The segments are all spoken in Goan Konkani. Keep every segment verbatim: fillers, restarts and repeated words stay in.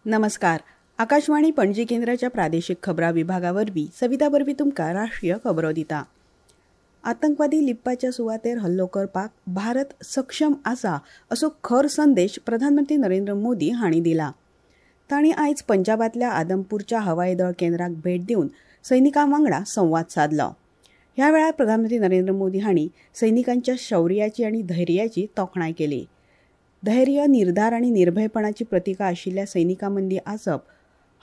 नमस्कार. आकाशवाणी पणजी केंद्राच्या प्रादेशिक खबरां विभागा वरवीं सविता बर्वी तुमकां राष्ट्रीय खबरो दिता. आतंकवादी लिपपाच्या सुवातेर हल्लो करपाक भारत सक्षम आसा असो खर संदेश प्रधानमंत्री नरेंद्र मोदी हांणी दिला. तांणी आयज पंजाबांतल्या आदमपूरच्या हवाई दळ केंद्राक भेट दिवन सैनिकां वांगडा संवाद सादलो. ह्या वेळार प्रधानमंत्री नरेंद्र मोदी हांणी सैनिकांच्या शौर्याची आनी धैर्याची तोखणाय केली. धैर्य, निर्धार आनी निर्भयपणाची प्रतिका आशिल्ल्या सैनिकां मदीं आसप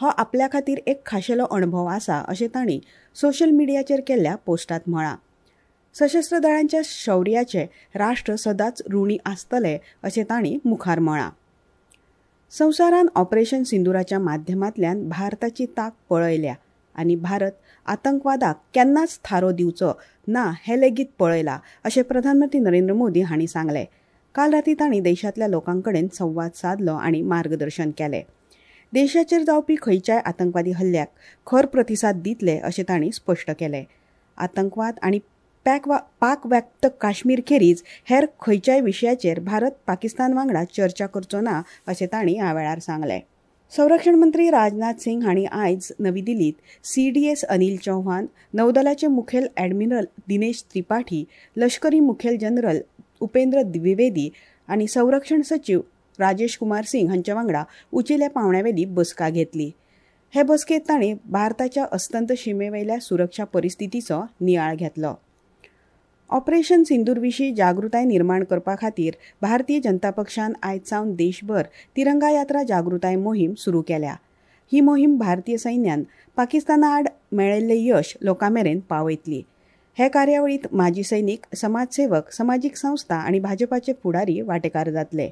हो आपल्या खातीर एक खाशेलो अणभव आसा अशें तांणी सोशल मिडियाचेर केल्ल्या पोस्टांत म्हळां. सशस्त्र दळांच्या शौर्याचे राष्ट्र सदांच ऋणी आसतले अशें तांणी मुखार म्हळां. संवसारान ऑपरेशन सिंदुराच्या माध्यमांतल्यान भारताची तांक पळयल्या आनी भारत आतंकवादाक केन्नाच थारो दिवचो ना हें लेगीत पळयलां अशें प्रधानमंत्री नरेंद्र मोदी हांणी सांगलें. काल राती तांणी देशांतल्या लोकां कडेन संवाद सादलो आनी मार्गदर्शन केलें. देशाचेर जावपी खंयच्याय आतंकवादी हल्ल्याक खर प्रतिसाद दितले अशें तांणी स्पश्ट केलें. आतंकवाद आनी पाक व्याप्त काश्मीर खेरीज हेर खंयच्याय विशयाचेर भारत पाकिस्तान वांगडा चर्चा करचो ना अशें तांणी ह्या वेळार सांगलें. संरक्षण मंत्री राजनाथ सिंग हांणी आयज नवी दिल्लीत C D S Anil Chauhan, नौदलाचे मुखेल ॲडमिरल दिनेश त्रिपाठी, लष्करी मुखेल जनरल उपेंद्र द्विवेदी आनी संरक्षण सचीव राजेश कुमार सिंग हांच्या वांगडा उंचेल्या पांवड्यावेली बसका घेतली. हे बसकेंत तांणी भारताच्या अस्तंत शिमेवेल्या सुरक्षा परिस्थितीचो नियाळ घेतलो. ऑपरेशन सिंदूर विशीं जागृताय निर्माण करपा खातीर भारतीय जनता पक्षान आयज सावन देशभर तिरंगा यात्रा जागृताय मोहीम सुरू केल्या. ही मोहीम भारतीय सैन्यान पाकिस्ताना आड मेळयल्लें यश लोकां मेरेन पावयतली. हे कार्यावळींत माजी सैनीक, समाजसेवक, समाजीक संस्था आनी भाजपाचे फुडारी वांटेकार जातले.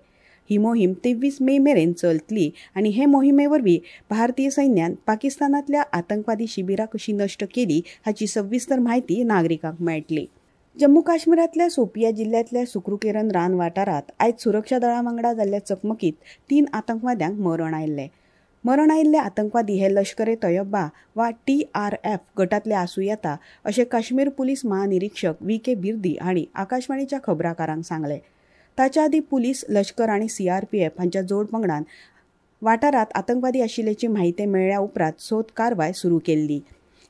ही मोहीम तेवीस मे मेरेन चलतली आनी हे मोहिमे वरवीं भारतीय सैन्यान पाकिस्तानांतल्या आतंकवादी शिबिरां कशी नश्ट केली हाची सविस्तर म्हायती नागरिकांक मेळटली. जम्मू काश्मीरांतल्या सोपिया जिल्ल्यांतल्या सुक्रुकेरन रान वाठारांत आयज सुरक्षा दळां वांगडा जाल्ल्या चकमकीत तीन आतंकवाद्यांक मरण आयिल्लें. मरण आयिल्ले आतंकवादी हे लश्कर ए तोयबा वा टी आर एफ गटांतले आसूं येता अशें काश्मीर पुलीस महानिरीक्षक व्ही के बिर्दी हांणी आकाशवाणीच्या खबराकारांक सांगलें. ताच्या आदीं पुलीस, लश्कर आनी सी आर पी एफ हांच्या जोड पंगडान वाठारांत आतंकवादी आशिल्ल्याची म्हायती मेळ्ळ्या उपरांत सोद कारवाय सुरू केल्ली.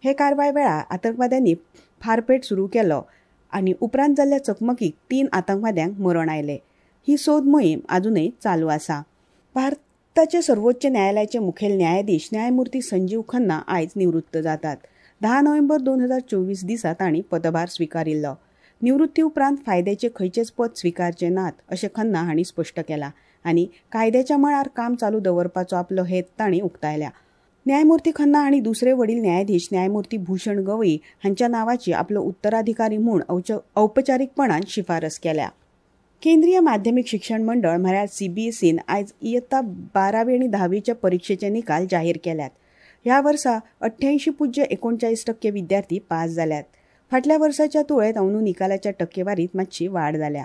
हे कारवाय वेळार आतंकवाद्यांनी फारपेट सुरू केलो आनी उपरांत जाल्ल्या चकमकीक तीन आतंकवाद्यांक मरण आयलें. ही सोद मोहीम अजुनय चालू आसा. भारताचे सर्वोच्च न्यायालयाचे मुखेल न्यायाधीश न्यायमूर्ती संजीव खन्ना आयज निवृत्त जातात. धा नोव्हेंबर दोन हजार चोवीस दिसा तांणी पदभार स्विकारिल्लो. निवृत्ती उपरांत फायद्याचे खंयचेच पद स्विकारचे नात अशें खन्ना हांणी स्पश्ट केलां आनी कायद्याच्या मळार काम चालू दवरपाचो आपलो हेत तांणी उक्तायला. न्यायमूर्ती खन्ना आनी दुसरे वडील न्यायाधीश न्यायमूर्ती भूषण गवई हांच्या नावाची आपलो उत्तराधिकारी म्हूण औपचारीकपणान शिफारस केल्या. केंद्रीय माध्यमिक शिक्षण मंडळ म्हळ्यार सीबीएसईन आयज इयत्ता बारावी आनी धावीच्या परिक्षेचे निकाल जाहीर केल्यात. ह्या वर्सा अठ्ठ्याऐंशी पूज्य एकोणचाळीस टक्के विद्यार्थी पास जाल्यात. फाटल्या वर्साच्या तुळेंत अंदू निकालाच्या टक्केवारीत मातशी वाड जाल्या.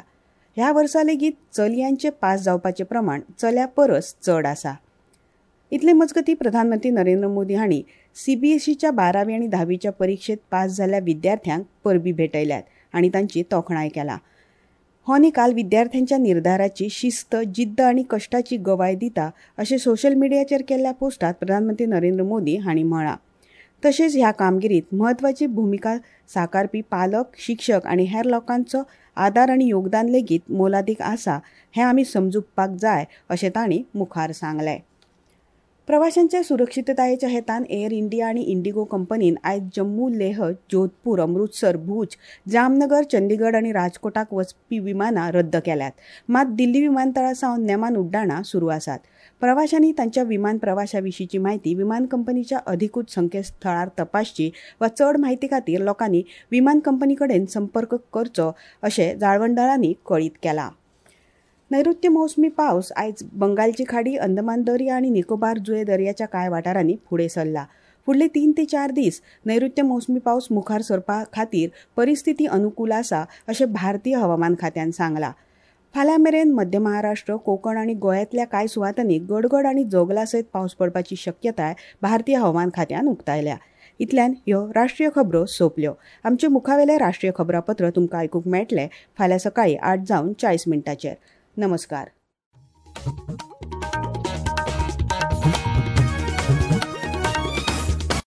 ह्या वर्सा लेगीत चलयांचे पास जावपाचें प्रमाण चल्या परस चड आसा. इतले मजगतीं प्रधानमंत्री नरेंद्र मोदी हांणी सीबीएसईच्या बारावी आनी धावीच्या परिक्षेत पास जाल्ल्या विद्यार्थ्यांक परबीं भेटयल्यात आनी तांची तोखणाय केला. हो निकाल विद्यार्थ्यांच्या निर्धाराची, शिस्त, जिद्द आनी कश्टाची गवाय दिता अशें सोशल मिडियाचेर केल्ल्या पोस्टांत प्रधानमंत्री नरेंद्र मोदी हांणी म्हळां. तशेंच ह्या कामगिरीत म्हत्वाची भुमिका साकारपी पालक, शिक्षक आनी हेर लोकांचो आदार आनी योगदान लेगीत मोलादीक आसा हें आमी समजुपाक जाय अशें तांणी मुखार सांगलें. प्रवाशांच्या सुरक्षिततायेच्या हेतान एअर इंडिया आनी इंडिगो कंपनीन आयज जम्मू, लेह, जोधपूर, अमृतसर, भूज, जामनगर, चंदीगड आनी राजकोटाक वचपी विमानां रद्द केल्यात. मात दिल्ली विमानतळा सावन नेमान उड्डाणां सुरू आसात. प्रवाशांनी तांच्या विमान प्रवासा विशींची म्हायती विमान कंपनीच्या अधिकृत संकेतथळार तपासची वा चड म्हायती खातीर लोकांनी विमान कंपनी कडेन संपर्क करचो अशें जाळवणदारांनी कळीत केलां. नैऋत्य मोसमी पावस आयज बंगालची खाडी, अंदमान दर्या आनी निकोबार जुये दर्याच्या कांय वाठारांनी फुडें सरला. फुडले तीन ते चार दीस नैऋत्य मोसमी पावस मुखार सरपा खातीर परिस्थिती अनुकूल आसा अशें भारतीय हवामान खात्यान सांगलां. फाल्यां मेरेन मध्य महाराष्ट्र, कोकण आनी गोंयांतल्या कांय सुवातांनी गडगड आनी जोगला सयत पावस पडपाची शक्यताय भारतीय हवामान खात्यान उक्तायल्या. इतल्यान ह्यो राष्ट्रीय खबरो सोंपल्यो. आमचे मुखावेलें राष्ट्रीय खबरापत्र तुमकां आयकूंक मेळटलें फाल्यां सकाळीं आठ जावन चाळीस मिनटांचेर. नमस्कार.